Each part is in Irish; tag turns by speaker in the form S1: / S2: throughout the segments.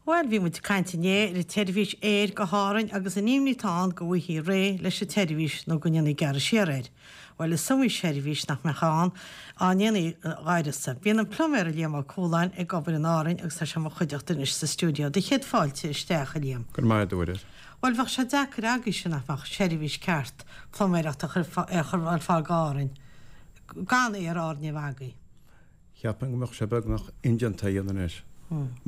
S1: Bhuel, bhí muid ag caint inné ar an tseirbhís aeir go hÁrainn agus an imní atá ann go bhfaighfí réidh leis an tseirbhís nó go ndéanfaí gearradh siar air. Bhuel, is iomaí seirbhís nach mbeadh ann dá ndéanfaí d'áireasa. Bíonn an pluiméir Liam Ó Cualáin ag obair in Árainn agus tá sé i mo chuideachta anois sa stiúideo. Do chéad fáilte isteach, a Liam.
S2: Go raibh maith agat, a Mhairéad.
S1: Bhuel, bheadh sé deacair agaibhse nach mbeadh seirbhís ceart pluiméireachta a chur ar fáil go Árainn gan Aer Árann a bheith agaibh.
S2: Cheapfainn go mbeadh sé beagnach indéanta a dhéanamh anois,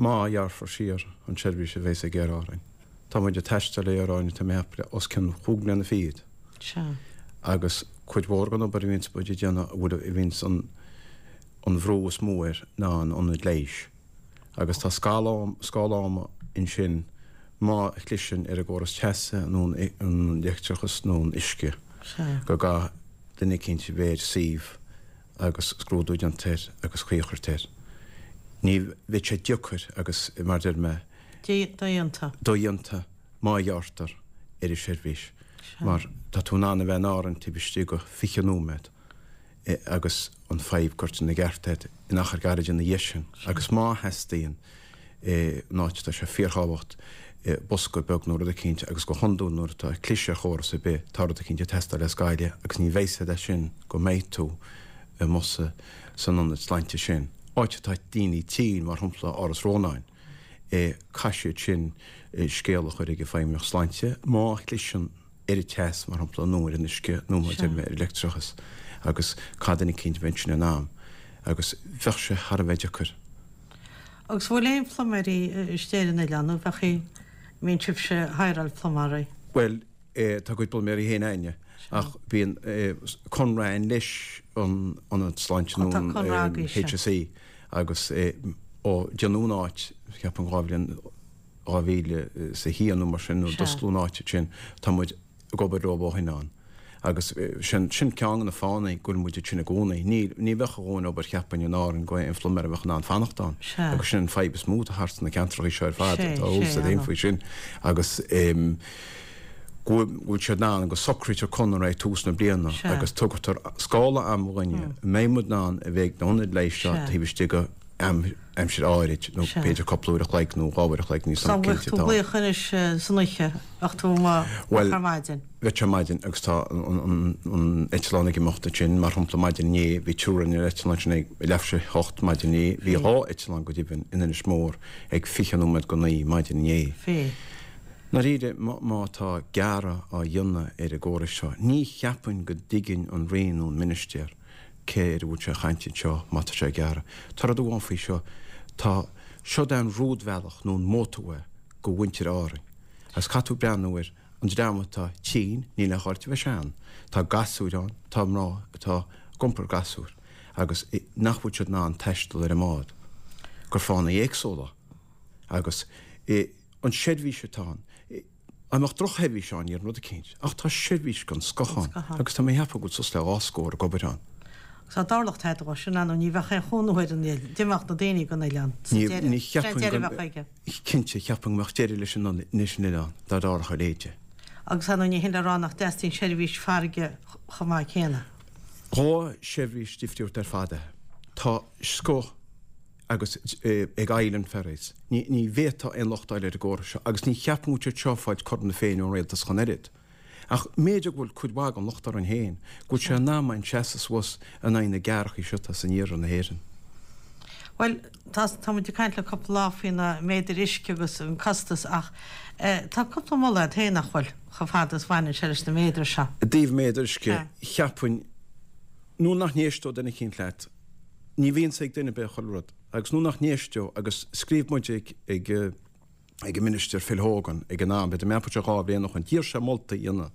S2: má ghearrfar siar an tseirbhís a bheas ag Aer Árainn. Tá muid ag taisteal le Aer Árainn, tá mé ag ceapadh, le os cionn chúig mbliana fichead.
S1: Sea.
S2: Agus cuid mhór den obair a bhíonns muid ag déanamh, a bhfuil, a bhíonns an, an bhrú is mó air ná an ionad leighis. Agus tá scála, scála ama ansin má chliseann ar an gcóras teasa nó an, an leictreachas nó an uisce,
S1: Sea.
S2: go gcaithfidh duine eicínt a bheith ar suíomh agus scrúdú déanta air agus caoi a chur air. Ní bheidh sé deacair agus, mar a deir mé.
S1: Dodhéanta.
S2: Dodhéanta má ghearrtar ar an seirbhís mar tá tú in ann a bheith in Árainn taobh istigh de 20 nóiméad agus an fadhb curtha ina gceart agat in achar gairid ina dhiaidh sin agus má theastaíonn in áit atá sé fíorthábhacht bosca beag nó rud eicínt agus go hiondúil nuair atá cliseadh ar chóras ar bith tá rud eicínt ag teastáil as Gaillimh agus ní bheidh a fhios agat sin go mbeidh tú i mbosa san ionad sláinte sin, áit atá daoine tinn mar shampla Áras Rónáin, caithfidh siad sin scéal a chur ag an Feidhmeannacht Sláinte má chliseann ar an teas mar shampla nó ar an uisce nó mar a deir mé ar an leictreachas agus caithfidh duine eicínt a bheith ansin in am agus bheadh sé thar a bheith deacair.
S1: Agus bhfuil aon phluiméirí istigh ar an oileán nó bheadh an mbíonn sibhse ag hireáil pluiméirí?
S2: Bhuel, tá ár gcuid pluiméirí féin a'inne ach bíonn conradh a'inn leis an Ionad Sláinte nó an HSE agus ó déanadh an áit, cheapfainn 2 bhliain, 2001 nó mar sin nuair a d'osclaíodh an áit sin, tá muid ag obair leo ó shin ann. Agus sin, sin ceann de na fáthanna go bhfuil muid ansin i gcónaí. Ní, ní bheadh a dhóthain obair cheapfainn in Árainn go aon phluiméir a bheadh in ann fanacht ann. Agus sin an fadhb is mó atá thart sna ceantracha seo ar fad, tá eolas agat féin faoi sin. Agus go bhfuil siad in ann go socraítear conradh ag tús na bliana agus tugtar scála ama dhúinne, mbeidh muid in ann a bheith ag na hionaid leighis seo taobh istigh de aimsir áirid, nó b'fhéidir cúpla uair a chloig nó 2 uair a chloig, níl
S1: 's agam cinnte. Bheadh tú ag glaoch anois san oíche, bheadh tú amuigh ar maidin.
S2: Bheadh sé ar maidin agus tá an eitleán ag imeacht ansin, mar shampla maidin inné, bhí triúr ar an eitleán sin ag leathuair tar éis a hocht maidin inné, bhí dhá eitleán go deimhin in Inis Mór ag 20 nóiméad go 9 maidin inné.
S1: Bhí.
S2: Ndáiríre, má tá gearradh á dhéanamh ar an gcóras seo, ní cheapfainn go dtuigeann an Roinn nó an Ministéar cé air a bhfuil sé ag caint anseo má tá sé ag gearradh. Tá rud amháin faoi seo, tá, seod é an rúidbhealach nó an motorway go mhuintir Árainn. Agus caithfidh tú breathnú ar an dream atá tinn, níl aon chóir a bheith sean, tá gasúir ann, tá mná atá ag iompar gasúr agus nach bhfuil siad in ann taisteal ar an mbád, gur fáthanna éagsúla agus an seirbhís atá ann. Dá mbeadh drochsheirbhís ann, ní rud eicínt, ach tá seirbhís den scoth ann agus tá mé ag ceapadh go bhfuil suas le dhá scór ag obair ann.
S1: Agus dá dtarlódh tada dhó sin, ar ndóigh, ní bheadh aon chónaí ar an oileán, d'imeodh na daoine den oileán sa deireadh.
S2: Ní cheapfainn go, cinnte, cheapfainn go mbeadh deireadh leis an oileán dá dtarlódh a leithéid.
S1: Agus ar ndóigh ní hin le rá nach dteastaíonn seirbhís farraige chomh maith céanna.
S2: Dhá sheirbhís difriúil ar fad é. Tá scoth. agus ag Island Ferries. Ní bhféadfá aon locht a fháil ar an gcóras seo agus ní cheapaim go bhfuil siad seo ag fáilt cothrom na Féinne ón rialtas ach an oiread. Ach mb'fhéidir go bhfuil cuid mhaith den locht orainn féin, go bhfuil sé in am againn seasamh suas in aghaidh na gearrthacha seo atá san iarthar na hÉireann.
S1: Bhuel, tá, tá muid ag caint le cúpla lá faoi na méadair uisce agus an costas ach tá cúpla moladh agat féin, nach bhfuil, chomh fada is bhaineann sé leis na méadair seo.
S2: I dtaobh méadar uisce, cheapfainn, nuair nach n-éisteodh duine eicínt leat, Ní bhíonns ag duine ar bith chuile rud, agus nuair nach n-éisteodh, agus scríobh muid ag ag ag an Minister Phil Hogan ag an am, b'fhéidir mé sé 2 bhliain ó shin, d'iarr sé moltaí a dhéanamh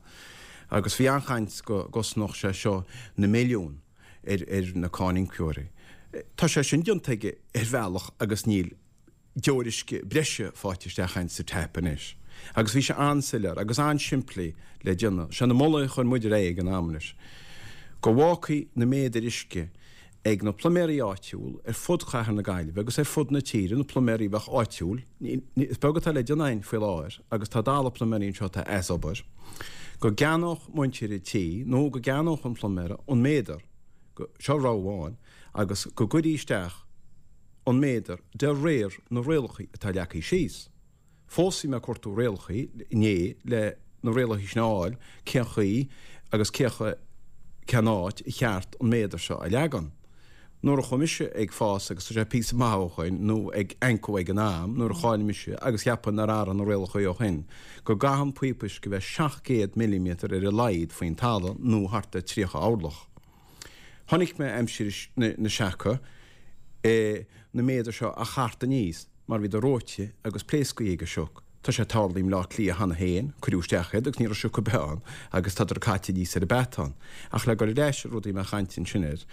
S2: agus bhí an-chaint go gcosnódh sé seo na milliúin ar ar na cáiníocóirí. Tá sé sin déanta aige ar bhealach agus níl deoir uisce breise faighte isteach againn sa tap anois. Agus bhí sé an-soiléir agus an-simplí le déanamh. Sé na moltaí a chuir muid ar aghaidh ag an am anois, go bhfágfaí na méadair uisce ag na pluiméirí áitiúil ar fud chathair na Gaillimhe agus ar fud na tíre, na pluiméirí a bheadh áitiúil, is beag atá le déanamh againn faoi láthair agus tá dalladh pluiméirí anseo atá as obair, go gceannódh muintir an tí nó go gceannódh an pluiméara an méadar, seo rogha amháin, agus go gcuirí isteach an méadar de réir na rialacha atá leagtha síos. Fós bhí mé ag cuartú rialachaí inné le na rialachaí sin a fháil, cén chaoi agus cé cén áit a cheart an méadar seo a leagan. Nuair a chuaigh mise ag fás agus tá sé píosa maith ó shoin, nó ag ancú ag an am nuair a cháiligh mise agus cheapfainn nár athraigh na rialachaí ó shoin, go gcaithfidh an píopa uisce bheith 700 milliméadar ar a laghad faoin talamh nó thart ar 30 orlach. Chonaic mé aimsir na seaca na méadair seo á chartadh aníos mar bhíodar reoite agus pléascaí ag an sioc. Tá sé ag tarlú i mBleá Cliath cheana féin, cuireadh isteach iad agus ní raibh sioc ar bith ann agus tádar caite aníos ar an beatán. Ach le dul ar ais ar rudaí mé ag caint ansin air,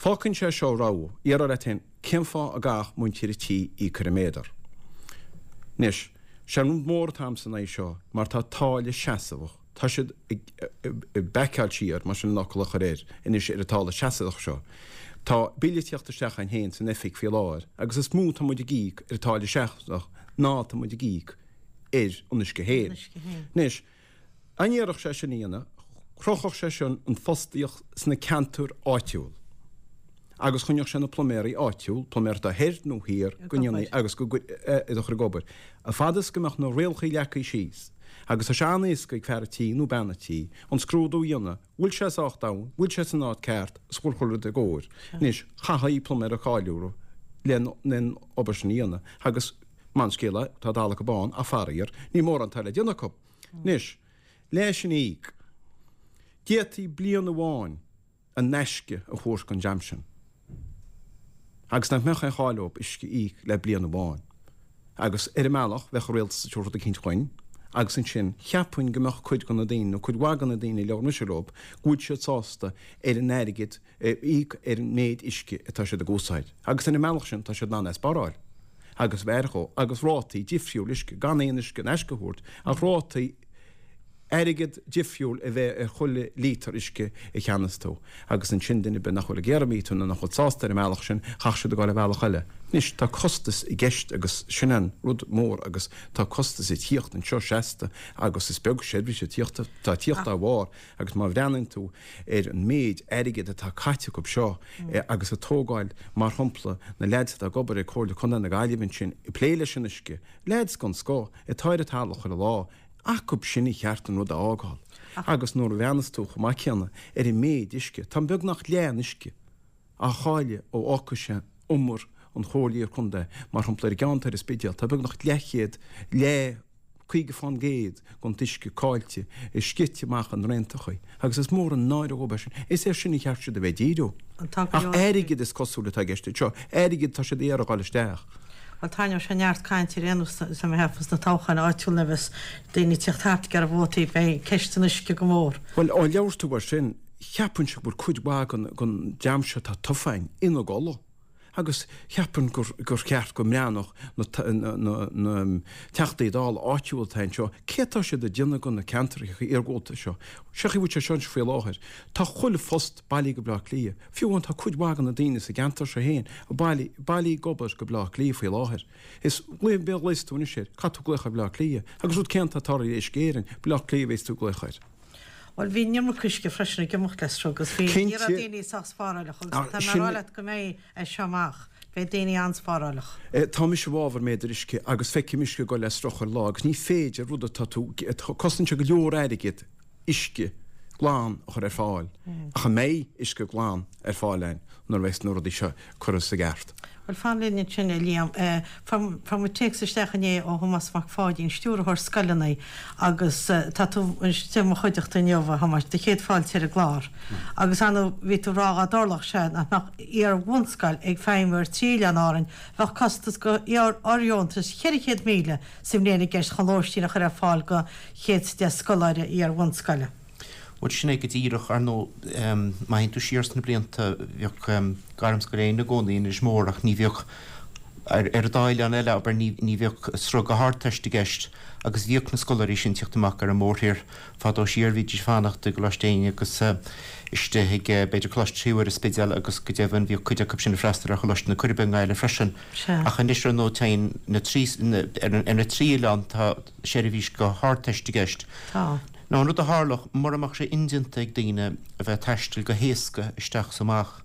S2: fágann sé seo rogha, iarraidh leat féin cén fáth a gcaithfeadh muintir an tí íoc ar an méadar. Anois, sé an rud mór atá a'msa in aghaidh seo mar tá táille seasmhach, Tá siad ag baiceáil siar, mar sin an fhocal a chur air, anois ar an táille seasmhach seo. Tá bille ag tíocht isteach againn féin san oifig faoi láthair agus is mó atá muid ag íoc ar an táille seasmhach ná atá muid ag íoc ar an uisce féin. Anois, dá n-iarrfadh sé sin a dhéanamh, chruthódh sé sin an fostaíocht sna ceantair áitiúil. agus choinneodh sé na pluiméirí áitiúil, pluiméir atá thoir nó thiar, go ndéanfaí agus go iad a chur ag obair. A fad is go mbeadh na rialachaí leagtha síos, agus tá sé an-éasca ag fear a tí nó bean a tí, an scrúdú a dhéanamh, bhfuil sé sách domhain, bhfuil sé san áit ceart, is bhfuil chuile rud i gcóir. Anois, chaithfí pluiméir a cháiliú len an obair sin a dhéanamh, agus maith an scéal é, tá dall acu ann, ach faraor, ní mórán atá le déanamh acu. Anois, leis an íoc, d'fhéadfaí bliain amháin, in aisce a thabhairt don dream sin agus nach mbeadh aon chall leo uisce a íoc le bliain amháin. Agus ar an mbealach bheadh an rialtas ag tabhairt rud eicínt dhuinn agus ansin cheapfainn go mbeadh cuid de na daoine, nó cuid mhaith de na daoine a labhair mise leo, go bhfuil siad sásta ar an airgead a íoc ar an méid uisce atá siad ag úsáid. Agus ar an mbealach sin tá siad in ann é a spáráil agus b'fhearr dhó agus rátaí difriúil uisce, gan aon uisce in aisce a thabhairt ach rátaí airgead difriúil a bheith ar chuile lítear uisce a cheannas tú, agus ansin duine ar bith nach bhfuil ag iarraidh míotar nó nach bhfuil sásta ar an mbealach sin, chaithfeadh siad a ghabháil ar bhealach eile. Anois, tá costas i gceist agus sin an rud mór agus tá costas ag tíocht anseo seasta agus is beag seirbhís ag tíocht, tá tíocht dá bharr agus má bhreathnaíonn tú ar an méid airgid atá caite acu seo agus ag tógáil, mar shampla, na leaids atá ag obair ag Comhairle Contae na Gaillimhe ansin ag plé leis an uisce, leaids den scoth atá ar an talamh chuile lá, Acub sin ar cheart an rud a fhágáil. Agus nuair a bhreathnas tú chomh maith céanna ar an méid uisce, tá beagnach leath an uisce á chailleadh ó fhágfaidh sé umar an Chomhairle Iar-Chontae, mar shampla ar an gceann atá ar an Spidéal, tá beagnach leathchéad, leath, 50% den t-uisce caillte, sceite amach i ndraontachaí. Agus is mór an náire dhóibh é sin. Is air sin ar cheart siad a bheith ag díriú. Ach airgead is cosúil atá i gceist anseo. Airgead atá siad ag iarraidh a dhul isteach.
S1: Bhuel, tarraingeoidh sé neart cainte ar aon nós, tá mé ag ceapadh, sna toghcháin áitiúla nuair a bheas daoine ag tíocht thart ag iarraidh vótaí, beidh ceist an uisce go mór.
S2: Bhuel, ó labhair tú air sin, cheapfainnse go bhfuil cuid mhaith den dream seo atá tofa againn ina gcodladh. Agus cheapfainn gur cheart go mbreathnódh na Teachtaí Dála áitiúla atá anseo, cé atá siad ag déanamh de na ceantracha iargúlta seo. Seo chaoi a bhfuil sé seo anois faoi láthair. Tá chuile phost bailithe go Bleá Cliath. Fiú amháin tá cuid mhaith de na daoine sa gceantar seo féin bailithe ag obair go Bleá Cliath faoi láthair. Is duine ar bith a ghlaos tú anois air, caithfidh tú glaoch ar Bhleá Cliath. Agus rud céanna atá ag tarlú le Uisce Éireann, Bleá Cliath a bheas tú ag glaoch air.
S1: Bhuel, bhí an iomarca uisce freisin ag imeacht le sruth agus bhí, ní raibh daoine sách spáráileach agus tá mé ag rá leat go mbeidh as seo amach, beidh daoine an-spáráileach.
S2: Tá mise i bhfabhar méadar uisce agus feicim uisce ag dul le sruth chuile lá agus ní féidir rud atá tú, cosnaíonn sé go leor airgid uisce glan a chur ar fáil ach an mbeidh uisce glan ar fáil againn nuair a bheas na rudaí seo curtha sa gceart?
S1: Bhuel, fan linn ansin, a Liam. Fuair muid téacs isteach inné ó Thomás Mac Pháidín, stiúrthóir scoileanna, agus tá tú istigh i mo chuideachta inniu, a Thomáis, do chéad fáilte ar an gclár. Agus ar ndóigh, bhí tú ag rá dhá dtarlódh sé nach mbeadh iar-bhunscoil ag feidhmiú ar thrí oileán Árainn, bheadh costas go fhóirdheontas 400,000 sa mbliain i gceist chun lóistín a chur ar fáil go 110 scoláire iar-bhunscoile.
S3: Bhuel, sin é go díreach. Ar ndóigh, má théann tú siar sna blianta, bheadh Gairmscoil Éinne i gcónaí in Inis Mór ach ní bheadh, ar an dá oileán eile, abair, ní bheadh sruth go hArdteist i gceist agus bhíodh na scoláirí sin ag tíocht amach ar an mórthír fadó siar, bhídís ag fanacht i gColáiste Éinne agus istigh ag, b'fhéidir, Coláiste Thrí Mhuire, Spidéal agus go deimhin bhíodh cuid acu sin ag freastal ar Choláiste na Coiribe i nGaillimh freisin. Ach anois, ar ndóigh, téann na trí, ar na trí oileán tá seirbhís go hArdteist i gceist.
S1: Tá.
S3: Now an rud a tharlódh, mura mbeadh sé indéanta ag daoine a bheith ag taisteal go héasca isteach is amach,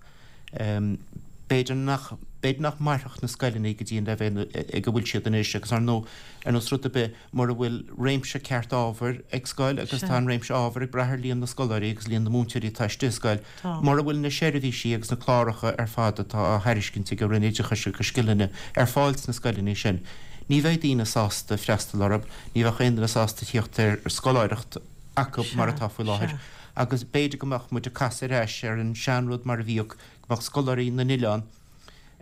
S3: B'fhéidir nach, b'fhéidir nach mairfeadh na scoileanna go dtí an leibhéal ag a bhfuil siad anois agus ar ndóigh, ar nós rud ar bith, mura bhfuil réimse ceart ábhair ag scoil agus tá an réimse ábhair ag brath ar líon na scoláirí agus líon na múinteoirí atá istigh i scoil, mura bhfuil na seirbhísí agus na cláracha ar fad atá á thairiscint ag an Roinn Oideachais agus Scileanna ar fáil sna scoileanna sin, ní bheidh daoine sásta freastal orthu, ní bheadh aon duine sásta tíocht ar scoláireacht acu mar atá faoi láthair agus b'fhéidir go mbeadh muid ag casadh ar ais ar an seanrud mar a bhíodh go mbeadh scoláirí na n-oileán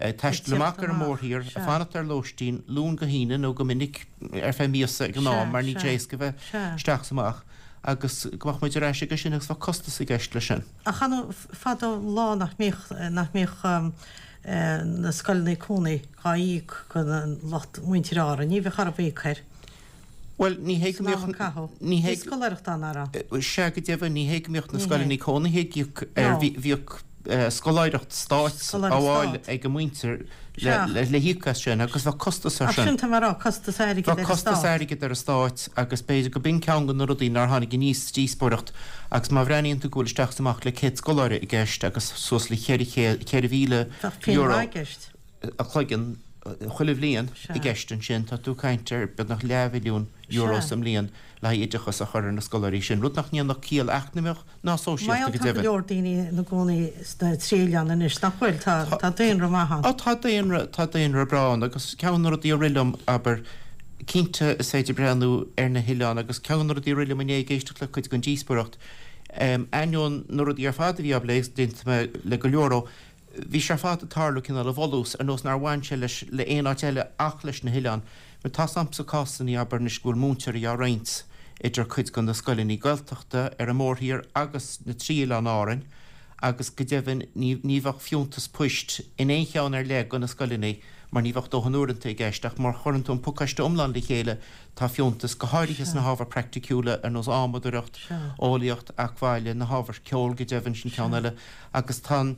S3: ag taisteal amach ar an mórthír, ag fanacht ar lóistín, Luan go hAoine nó go minic ar feadh míosa ag an am mar níl sé éasca a bheith isteach is amach, agus go mbeadh muid ar ais aige sin agus bheadh costas i gceist leis sin.
S1: Ach an fadó lá nach mbíodh, nach mbíodh na scoileanna cónaí dhá íoc go lucht muintir Árann, ní bheadh orthu íoc air.
S3: Bhuel, ní hé go mbíodh, ní hé.
S1: Bhí scoláireacht ann, an raibh?
S3: Sea, go deimhin, ní hé go mbíodh na scoileanna cónaithe ag íoc air, bhíodh scoláireacht stáit á fháil ag an muintir le híoc as sin agus bheadh costas air
S1: sin. Ach sin tá mé a rá, costas airgid ar an
S3: stát. Bheadh costas airgid ar an stát agus b'fhéidir go b'in ceann de na rudaí nár tháinig aníos sa díospóireacht agus má bhreathnaíonn tú go bhfuil isteach is amach le 100 scoláire i gceist agus suas le €4,000.
S1: Bheadh pingin mhaith i gceist.
S3: a chloigeann chuile bhliain i gceist ansin, tá tú ag caint ar beagnach leathmhilliún euro sa mbliain le haghaidh oideachas a chur ar na scoláirí sin, rud nach ndéanfadh ciall eacnamaíoch ná sóisialta go
S1: deimhin. Tá go leor daoine ina gcónaí sna trí oileán anois, nach bhfuil? Tá daonra maith ann.
S3: Á tá daonra, tá daonra breá ann agus ceann de na rudaí a rith liom, abair, cinnte is féidir breathnú ar na hoileáin agus ceann de na rudaí a rith liom inné ag éisteacht le cuid den díospóireacht, ainneoin na rudaí ar fad a bhí á bplé agus d'aontaigh mé le go leor ó, Bhí sé ar fad ag tarlú cineál i bhfolús, ar nós nár bhain sé leis le aon áit eile ach leis na hoileáin. Mar tá's a'msa cásannaí, abair anois, go bhfuil múinteoirí á roinnt idir cuid de na scoileanna Gaeltachta ar an mórthír agus na trí oileán Árainn agus go deimhin ní ní bheadh fiúntas poist in aon cheann ar leith de na scoileanna mar ní bheadh dóthain uaireanta i gceist ach má chuireann tú an pacáiste iomlán le chéile tá fiúntas, go háirithe sna hábhair praiticiúla ar nós adhmadóireacht, eolaíocht, acmhaille, na hábhair ceol go deimhin, sin ceann eile. Agus tá an,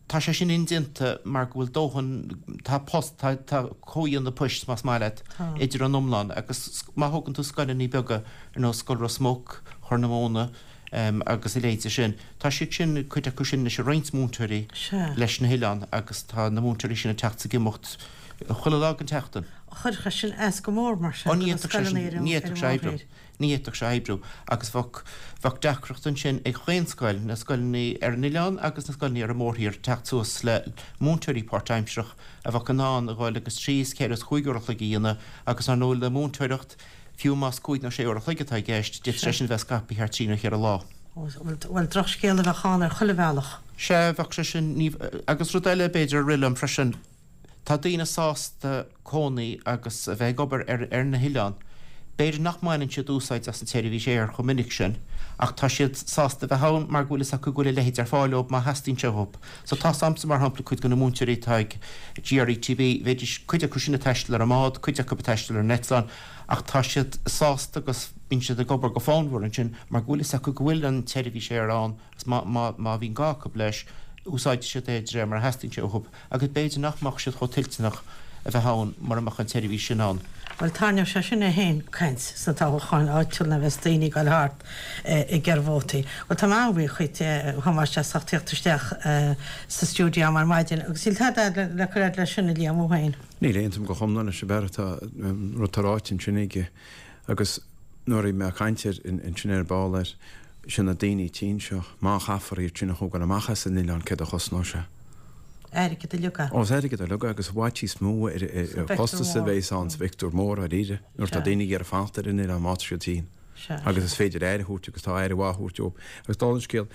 S3: tá sé sin indéanta mar go bhfuil dóthain, tá post, tá, tá comhdhéanamh poist, más maith leat, idir an iomlán. Agus má thógann tú scoileanna beaga ar nós Scoil Ros Muc, Chorr na Móna agus a leithéide sin, tá siad sin, cuid acu sin anois ag roinnt múinteoirí leis na hoileáin agus tá na múinteoirí sin ag teacht is ag imeacht chuile lá den tseachtain.
S1: Chuirfeadh sin as go mór mar sin do na scoileanna ar an mórthír.
S3: Ní fhéadfadh sé oibriú agus bheadh, bheadh deacracht ansin ag chaon scoil, na scoileanna ar an oileán agus na scoileanna ar an mórthír, teacht suas le múinteoirí páirtaimsearach a bheadh in ann a dhul agus trí is ceithre is chúig uair a chloig a dhéanamh agus ar ndóigh le múinteoireacht, fiú más cúig nó sé uair a chloig atá i gceist, d'fhéadfadh sé sin a bheith scaipthe thar trí nó cheithre lá.
S1: Bhuel, drochscéal a bheadh ann ar chuile bhealach.
S3: Sea, bheadh sé sin, ní, agus rud eile b'fhéidir a rith liom freisin, Tá daoine sásta cónaí agus a bheith ag obair ar ar na hoileáin. B'fhéidir nach mbaineann siad úsáid as an tseirbhís aeir chomh minic sin, ach tá siad sásta a bheith ann mar go bhfuil fhios acu go bhfuil a leithéid ar fáil dóibh má theastaíonn sé uathu. So tá's a'msa, mar shampla, cuid de na múinteoirí atá ag GRETB, bheidís, cuid acu sin ag taisteal ar an mbád, cuid acu ag taisteal ar an eitleán, ach tá siad sásta agus bíonn siad ag obair go fonnmhar ansin mar go bhfuil fhios acu go bhfuil an tseirbhís aeir ann agus má má má bhíonn gá acu leis, úsáidfidh siad é de réir mar a theastaíonn sé uathu. agus b'fhéidir nach mbeadh siad chomh toilteanach a bheith ann mura mbeadh an tseirbhís sin ann.
S1: Bhuel, tarraingeoidh sé sin é féin caint sna toghcháin áitiúla nuair a bheas daoine ag dul thart ag iarraidh vótaí. Bhuel, tá mé an-bhuíoch dhuit, a Thomáis, as ucht tíocht isteach sa stiúideo ar maidin. Agus níl tada le cur fhad leis sin, a Liam, thú féin?
S2: Níl, aontaím go hiomlán leis an bhfear atá, rud atá ráite ansin aige. Agus nuair a bhí mé ag caint air ansin ar ball air, sin na daoine tinn seo, má chaithfear iad sin a thógáil amach as an oileán céard a chosnóidh sé?
S1: Airgead uilig
S2: é. Ó, is airgead uilig é agus i bhfad níos mó ar an chostas a bheas ann sa phictiúr mór dáiríre nuair atá daoine ag iarraidh fanacht ar an oileán má tá siad tinn. Agus is féidir aire a thabhairt agus tá aire mhaith á thabhairt dóibh. Agus dála an scéil,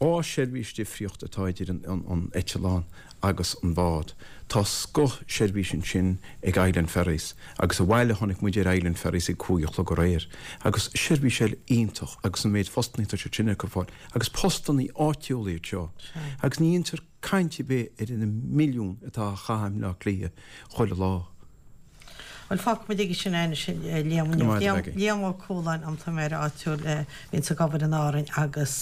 S2: 2 seirbhís difríocht atá idir an eitleán agus an bád. Tá scoth seirbhís ansin ag Island Ferries agus abhaile chonaic muid ar Island Ferries ag 5 a chlog aréir agus seirbhís eile iontach agus an méid postannaí atá siad sin ag cur fáil agus postannaí áitiúla iad seo agus ní dhéantar caint ar bith ar na milliúin atá á chaitheamh i mBleá Cliath chuile lá.
S1: Bhuel, fágfaidh muid aige sin é anois, a Liam.
S2: Go raibh maith agat.
S1: Liam Ó Cualáin, an t-méara áitiúil a bhíonns ag obair in Árainn agus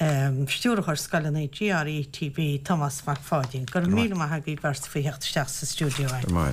S1: Stiúrthóir Scoileanna GRETB, Tomás Mac Pháidín. Go raibh míle maith agaibh beirt faoi theacht isteach sa stiúideo.
S2: Go raibh maith.